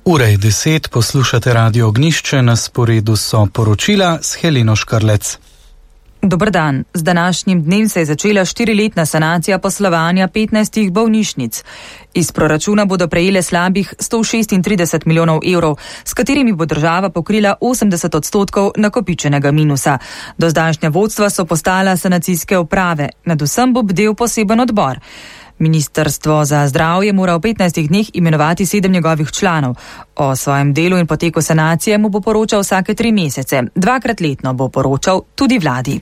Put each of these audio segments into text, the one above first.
Ura je 10, poslušate Radio Ognjišče, na sporedu so poročila s Heleno Škrlec. Dober dan. Z današnjim dnem se je začela 4-letna sanacija poslovanja 15 bolnišnic. Iz proračuna bodo prejele slabih 136 milijonov evrov, s katerimi bo država pokrila 80% nakopičenega minusa. Do zdajšnja vodstva so postala sanacijske uprave, nadvsem bo bdel poseben odbor. Ministrstvo za zdravje mora v 15 dneh imenovati 7 njegovih članov. O svojem delu in poteku sanacije mu bo poročal vsake 3 mesece. 2-krat letno bo poročal tudi vladi.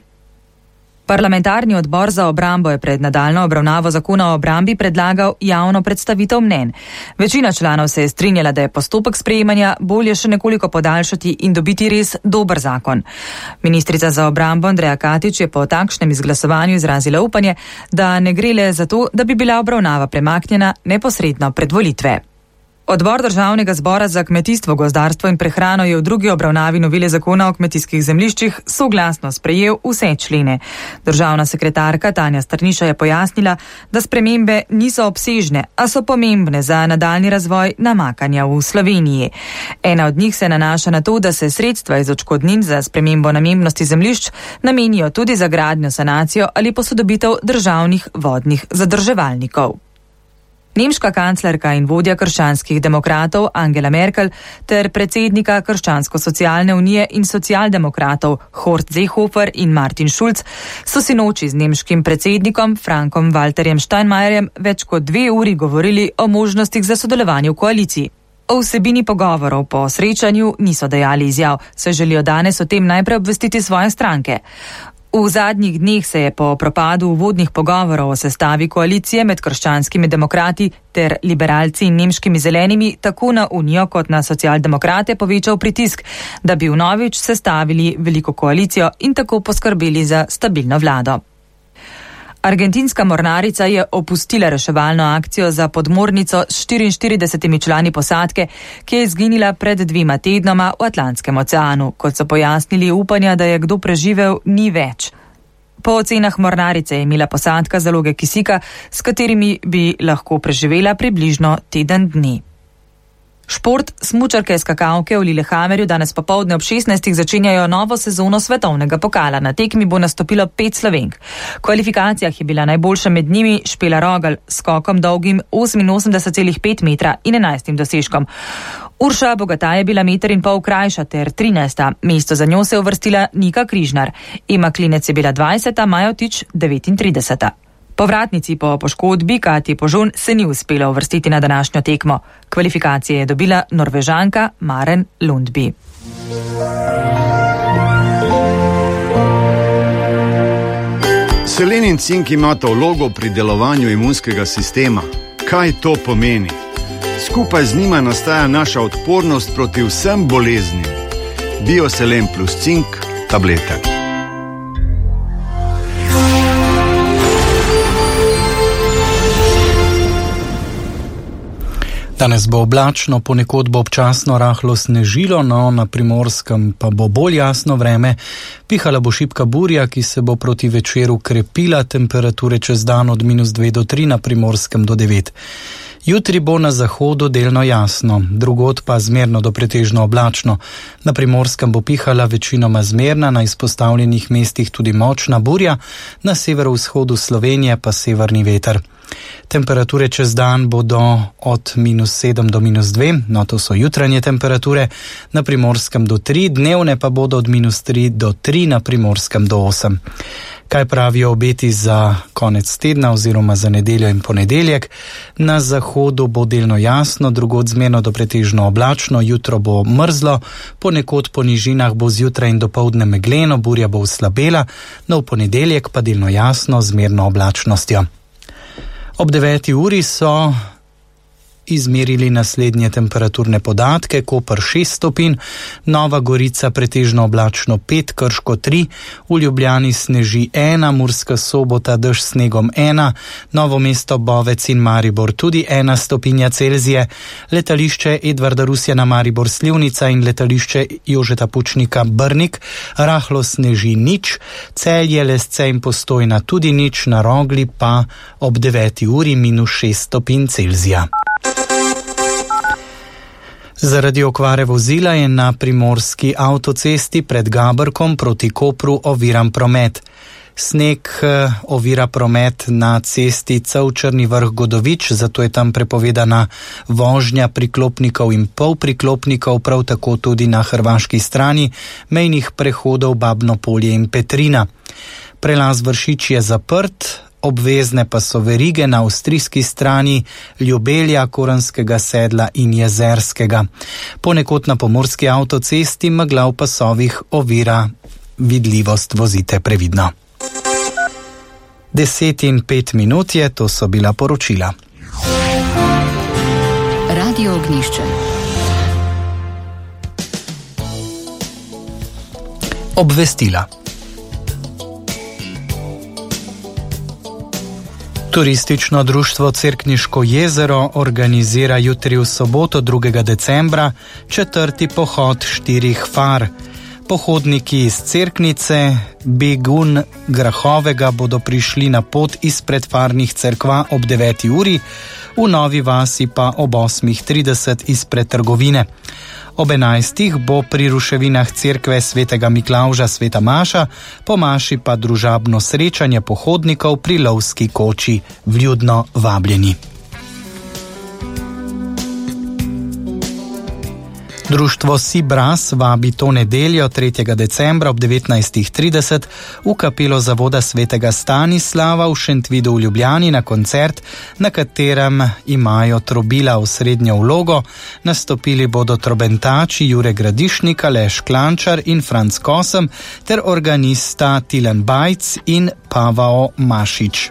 Parlamentarni odbor za obrambo je pred nadaljnjo obravnavo zakona o obrambi predlagal javno predstavitev mnenj. Večina članov se je strinjala, da je postopek sprejemanja bolje še nekoliko podaljšati in dobiti res dober zakon. Ministrica za obrambo Andreja Katič je po takšnem izglasovanju izrazila upanje, da ne gre le za to, da bi bila obravnava premaknjena neposredno pred volitve. Odbor Državnega zbora za kmetijstvo, gozdarstvo in prehrano je v drugi obravnavi novele zakona o kmetijskih zemljiščih soglasno sprejel vse člene. Državna sekretarka Tanja Strniša je pojasnila, da spremembe niso obsežne, a so pomembne za nadaljni razvoj namakanja v Sloveniji. Ena od njih se nanaša na to, da se sredstva iz odškodnin za spremembo namembnosti zemljišč namenijo tudi za gradnjo, sanacijo ali posodobitev državnih vodnih zadrževalnikov. Nemška kanclerka in vodja krščanskih demokratov Angela Merkel ter predsednika Krščansko-socialne unije in socialdemokratov Horst Seehofer in Martin Schulz so sinoči z nemškim predsednikom Frankom Walterjem Steinmeierjem več kot 2 uri govorili o možnostih za sodelovanje v koaliciji. O vsebini pogovorov po srečanju niso dajali izjav, saj želijo danes o tem najprej obvestiti svoje stranke. V zadnjih dneh se je po propadu uvodnih pogovorov o sestavi koalicije med krščanskimi demokrati ter liberalci in nemškimi zelenimi tako na Unijo kot na socialdemokrate povečal pritisk, da bi vnovič sestavili veliko koalicijo in tako poskrbeli za stabilno vlado. Argentinska mornarica je opustila reševalno akcijo za podmornico s 44 člani posadke, ki je izginila pred 2 tednoma v Atlantskem oceanu. Kot so pojasnili, upanja, da je kdo preživel, ni več. Po ocenah mornarice je imela posadka zaloge kisika, s katerimi bi lahko preživela približno teden dni. Šport, smučarke skakalke v Lillehammerju danes popoldne ob 16. začenjajo novo sezono svetovnega pokala. Na tekmi bo nastopilo 5 Slovenk. V kvalifikacijah je bila najboljša med njimi Špela Rogelj s skokom dolgim 88,5 metra in 11 dosežkom. Urša Bogataj je bila 1,5 metra krajša ter 13. Mesto za njo se je uvrstila Nika Križnar. Ema Klinec je bila 20. Majotič 39. Povratnici po poškodbi Katji Požun se ni uspelo uvrstiti na današnjo tekmo. Kvalifikacije je dobila Norvežanka Maren Lundby. Selen in cink imata vlogo pri delovanju imunskega sistema. Kaj to pomeni? Skupaj z njima nastaja naša odpornost proti vsem boleznim. Bioselen plus cink tablete. Danes bo oblačno, ponekod bo občasno rahlo snežilo, no na Primorskem pa bo bolj jasno vreme. Pihala bo šibka burja, ki se bo proti večeru krepila, temperature čez dan od -2 do 3, na Primorskem do 9. Jutri bo na zahodu delno jasno, drugod pa zmerno do pretežno oblačno. Na Primorskem bo pihala večinoma zmerna, na izpostavljenih mestih tudi močna burja, na severovzhodu Slovenije pa severni veter. Temperature čez dan bodo od -7 do -2, no to so jutranje temperature, na Primorskem do 3, dnevne pa bodo od -3 do 3, na Primorskem do 8. Kaj pravijo obeti za konec tedna oziroma za nedeljo in ponedeljek? Na zahodu bo delno jasno, drugod zmerno do pretežno oblačno, jutro bo mrzlo, ponekod po nižinah bo zjutraj in dopoldne megleno, burja bo oslabela, no v ponedeljek pa delno jasno, zmerno oblačnostjo. Ob 9. uri so izmerili naslednje temperaturne podatke: Koper 6 stopinj, Nova Gorica pretežno oblačno 5, Krško 3, v Ljubljani sneži 1, Murska Sobota dež s snegom 1, Novo mesto, Bovec in Maribor tudi 1 stopinja Celzije, letališče Edvarda Rusjana Maribor Slivnica in letališče Jožeta Pučnika Brnik rahlo sneži 0, Celje, Lesce in Postojna tudi 0, na Rogli pa ob 9. uri -6 stopinj Celzija. Zaradi okvare vozila je na primorski avtocesti pred Gabrkom proti Kopru oviran promet. Sneg ovira promet na cesti Črni Vrh-Godovič, zato je tam prepovedana vožnja priklopnikov in polpriklopnikov, prav tako tudi na hrvaški strani mejnih prehodov Babno Polje in Petrina. Prelaz Vršič je zaprt, obvezne pa so verige na avstrijski strani Ljubelja, Koranskega Sedla in Jezerskega. Ponekod na pomorski avtocesti megla v pasovih ovira vidljivost, vozite previdno. 10:05 je, to so bila poročila. Radio Ognjišče. Obvestila. Turistično društvo Cerkniško jezero organizira jutri v soboto 2. decembra 4. pohod 4 far. Pohodniki iz Cerknice, Begun, Grahovega bodo prišli na pot izpred farnih cerkva ob 9. uri, v Novi Vasi pa ob 8:30 izpred trgovine. Ob 11. bo pri ruševinah cerkve svetega Miklavža sveta maša, po maši pa družabno srečanje pohodnikov pri lovski koči, vljudno vabljeni. Društvo Sibras vabi to nedeljo 3. decembra ob 19:30 v kapelo zavoda svetega Stanislava v Šentvidu v Ljubljani na koncert, na katerem imajo trobila osrednjo vlogo. Nastopili bodo trobentači Jure Gradišnik, Aleš Klančar in Franc Kosem ter organista Tilen Bajc in Pavao Mašič.